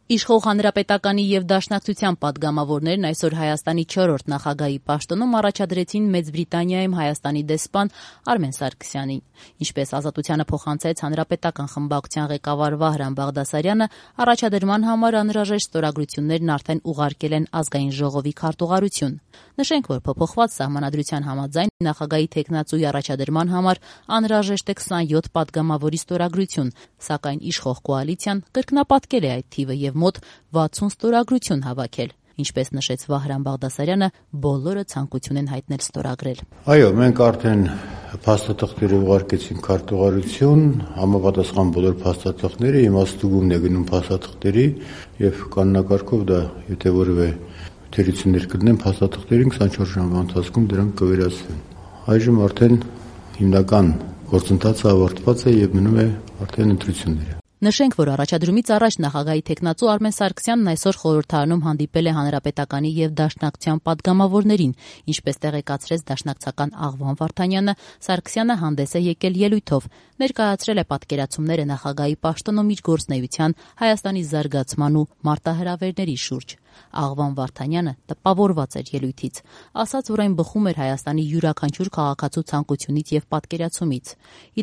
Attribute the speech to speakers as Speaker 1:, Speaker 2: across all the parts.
Speaker 1: Իշխող Հանրապետականի եւ Դաշնակցության պատգամավորներն այսօր Հայաստանի 4-րդ նախագահի պաշտոնում առաջադրեցին Մեծ Բրիտանիայում Հայաստանի դեսպան Արմեն Սարգսյանին։ Ինչպես Ազատությանը փոխանցեց Հանրապետական խմբակցության ղեկավար Վահրամ Բաղդասարյանը, առաջադրման համար անհրաժեշտ ստորագրություններն արդեն ուղարկել են Ազգային ժողովի քարտուղարություն։ Նշենք, որ փոփոխված սահմանադրության համաձայն նախագահի թեկնածուի առաջադրման համար անհրաժեշտ է 27 պատգամավորի ստորագրություն, սակայն իշխող կոալիցիան կրկնապատկել է այդ թիվը եւ մոտ 60 ստորագրություն հավաքել։ Ինչպես նշեց Վահրամ Բաղդասարյանը, բոլորը ցանկություն են հայտնել ստորագրել։
Speaker 2: Այո, մենք արդեն փաստաթղթերը ուղարկեցինք քարտուղարություն, համապատասխան բոլոր փաստաթղթերը իմաստուգումն է գնում փաստաթղթերի եւ կանոնակարգով դա եթե որևէ թերություններ կդնեն փաստաթղթերին 24 ժամվա ընթացքում դրանք կվերացվեն։ Այժմ արդեն հիմնական գործընթացը ավարտված է եւ մնում է արդեն ընտրությունները։
Speaker 1: Նշենք, որ առաջադրումից առաջ նախագահի թեկնածու Արմեն Սարգսյանն այսօր խորհրդարանում հանդիպել է Հանրապետականի եւ Դաշնակցության պատգամավորներին, ինչպես տեղեկացրեց դաշնակցական Աղվան Վարդանյանը, Սարգսյանը հանդես է եկել ելույթով, ներկայացրել է պատկերացումները նախագահի պաշտոնում իր գործունեության, Հայաստանի զարգացման ու մարտահրավերների շուրջ։ Աղվան Վարդանյանը տպավորված էր ելույթից, ասաց, որ այն բխում էր Հայաստանի յուրաքանչյուր քաղաքացու ցանկությունից եւ պատկերացումից։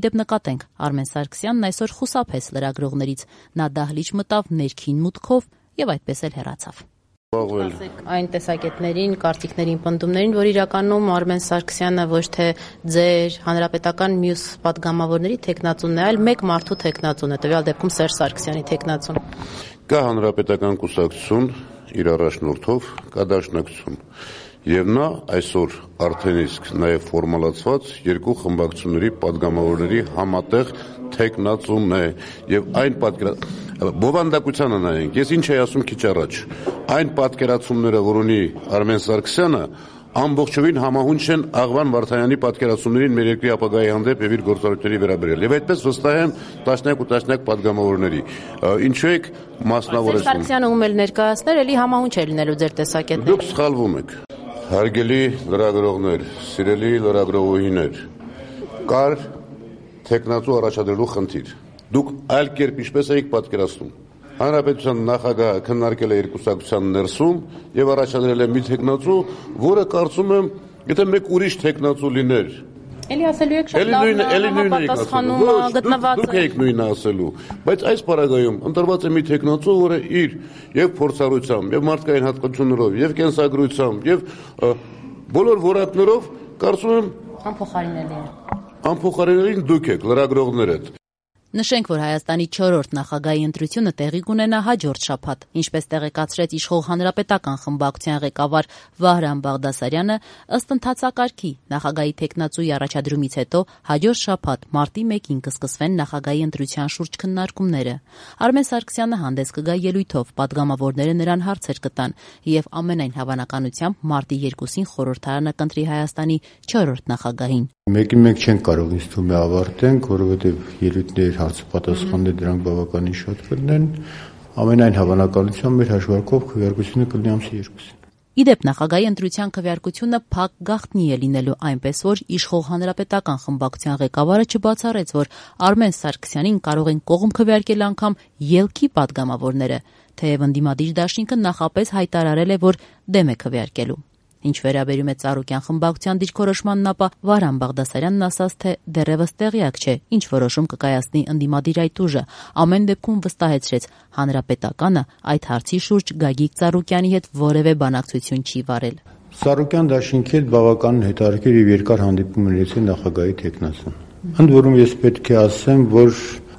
Speaker 1: Իդեպ նկատենք, Արմեն Սարգսյանն այսօր խուսափեց լրագրողներից, նա դահլիճ մտավ ներքին մուտքով եւ այդպես էլ հեռացավ։ Այն տեսակետներին, կարծիքներին, պնդումներին, որ իրականում Արմեն Սարգսյանը ոչ թե ձեր հանրապետական մյուս պատգամավորների թեկնածուն է, այլ մեկ մարդու թեկնածուն է, տվյալ դեպքում Սերժ Սարգսյանի թեկնածուն։
Speaker 3: Կա հանրապետական կուսակցություն իր առաջնորդով, կա Դաշնակցություն։ Եվ նա այսօր արդեն իսկ նաև ֆորմալացված երկու խմբակցությունների պատգամավորների համատեղ թեկնածուն է եւ այն բովանդակությանը նայենք, ես ինչ էի ասում քիչ առաջ, այն պատկերացումները, որ ունի Արմեն Սարգսյանը, ամբողջովին համահունչ են Աղվան Վարդանյանի պատկերացումներին մեր երկրի ապագայի հանդեպ եւ իր գործառույթների վերաբերյալ։ Եվ այդպես վստահ եմ տասնյակ պատգամավորների։ Ինչու եք մասնավորեցնում։
Speaker 1: Սարգսյանը ում էլ ներկայացներ, էլի համահունչ է լինելու ձեր տեսակետները։
Speaker 3: Դուք սխալվում եք։ Հարգելի լրագրողներ, սիրելի լրագրողուհիներ, կար թեկնածու առաջադրելու խնդիր։ Դուք այլ կերպ ինչպես եք պատկերացնում։ Հանրապետության նախագահը քննարկել է երկուսակցության ներսում եւ առաջադրել է մի թեկնածու, որը կարծում եմ, եթե մեկ ուրիշ թեկնածու լիներ,
Speaker 1: էլի ասելու եք շատ լավ պատասխանում գտնված։
Speaker 3: Դուք եք նույնը ասելու, բայց այս պարագայում ընտրված է մի թեկնածու, որը իր եւ փորձառությամբ, եւ մարդկային հատկություններով, եւ կենսագրությամբ, եւ բոլոր որակներով կարծում եմ անփոխարինելի դուք եք լրագրողներդ։
Speaker 1: Նշենք, որ Հայաստանի 4-րդ նախագահի ընտրությունը տեղի կունենա հաջորդ շաբաթ, ինչպես տեղեկացրեց իշխող Հանրապետական խմբակցության ղեկավար Վահրամ Բաղդասարյանը, ըստ ընթացակարգի նախագահի թեկնածուի առաջադրումից հետո հաջորդ շաբաթ մարտի 1-ին կսկսվեն նախագահի ընտրության շուրջ քննարկումները։ Արմեն Սարգսյանը հանդես կգա ելույթով, պատգամավորները նրան հարցեր կտան եւ ամենայն հավանականությամբ մարտի 2-ին խորհրդարանը կընտրի Հայաստանի 4-րդ նախագահին։
Speaker 2: Մեկին մենք չենք կարող ինձ թվում է ավարտենք, որովհետև ելույթներ հարցապատասխանները դրանք բավականին շատ կլինեն, ամենայն հավանականությամբ մեր հաշվարկով քվեարկությունը կլինի ամսի 2-ին։
Speaker 1: Իդեպ նախագահի ընտրության քվեարկությունը փակ գաղտնի է լինելու, այնպես որ իշխող Հանրապետական խմբակցության ղեկավարը չբացառեց, որ Արմեն Սարգսյանին կարող են կողմ քվեարկել անգամ ելքի պատգամավորները, թեև ընդդիմադիր դաշինքը նախապես հայտարարել է, որ դեմ է քվեարկելու։ Ինչ վերաբերում է Ծառուկյան խմբակցության դիրքորոշմանն, ապա Վահրամ Բաղդասարյանն ասաց, թե դեռևս տեղյակ չէ, ինչ որոշում կկայացնի ընդդիմադիր այդ ուժը, ամեն դեպքում վստահեցրեց, Հանրապետականը այդ հարցի շուրջ Գագիկ Ծառուկյանի հետ որևէ բանակցություն չի վարել։
Speaker 2: Ծառուկյան դաշինքի հետ բավականին հետաքրքիր եւ երկար հանդիպում ունեցել նախագահի թեկնածուն։ Ընդ որում ես պետք է ասեմ, որ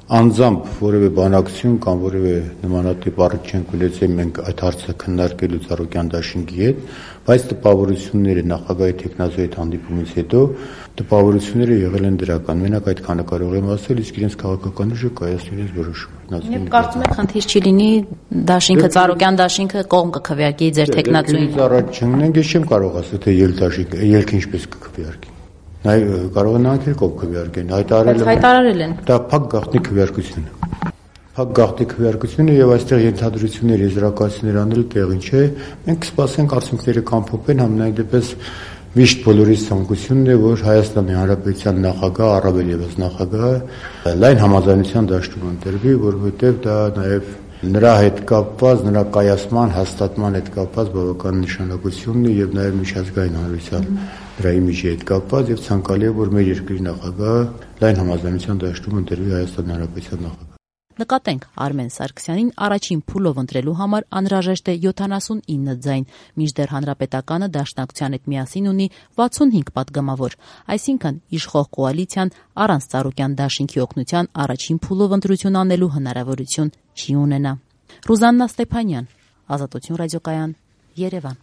Speaker 2: անձամբ որևէ բանակցություն կամ որևէ նմանատիպ առիթ չենք ունեցել մենք այդ հարցը քննարկելու Ծառուկյան դաշինքի հետ, բայց տպավորությունները նախագահի թեկնածուի հետ հանդիպումից հետո տպավորությունները եղել են դրական։ Մենակ այդքանը կարող եմ ասել, իսկ իրենց քաղաքական ուժը կայացնի իրենց որոշում։
Speaker 1: Եվ կարծում եք խնդիր չի լինի դաշինքը Ծառուկյան դաշինքը կողմ կքվեարկի ձեր թեկնածուին։
Speaker 2: Առաջ չընկնենք, ես չեմ կարող ասել, թե ելքը ինչպես կքվեարկի։ Կարող են անգել կողմ քվեարկեն,
Speaker 1: հայտարարել են։
Speaker 2: Դա փակ գաղտնի քվեարկություն է։ Փակ գաղտնի քվեարկությունը եւ այստեղ ենթադրություններ, եզրակացություններ անել տեղին չէ։ Մենք կսպասենք արդյունքները կամփոփեն, համենայն դեպս միշտ բոլորի ցանկությունն է, որ Հայաստանի Հանրապետության նախագահ, առավել եւս նախագահը լայն համաձայնության դաշտում ընտրվի, որովհետեւ դա նաեւ նրա հետ կապված, նրա կայացման, հաստատման հետ կապված բավական նշանակություն ունի եւ նաեւ միջազգային հանրության դրա իմիջի հետ կապված եւ ցանկալի է, որ մեր երկրի նախագահը լայն համաձայնության դաշտում ընտրվի Հայաստանի Հանրապետության նախագահ։
Speaker 1: Նկատենք, Արմեն Սարգսյանին առաջին փուլով ընտրելու համար անհրաժեշտ է 79 ձայն, մինչդեռ Հանրապետականը Դաշնակցության հետ միասին ունի 65 պատգամավոր, այսինքն իշխող կոալիցիան առանց Ծառուկյան դաշինքի օգնության առաջին փուլով ընտրություն անելու հնարավորություն չի ունենա։ Ռուզաննա Ստեփանյան, Ազատություն ռադիոկայան, Երևան։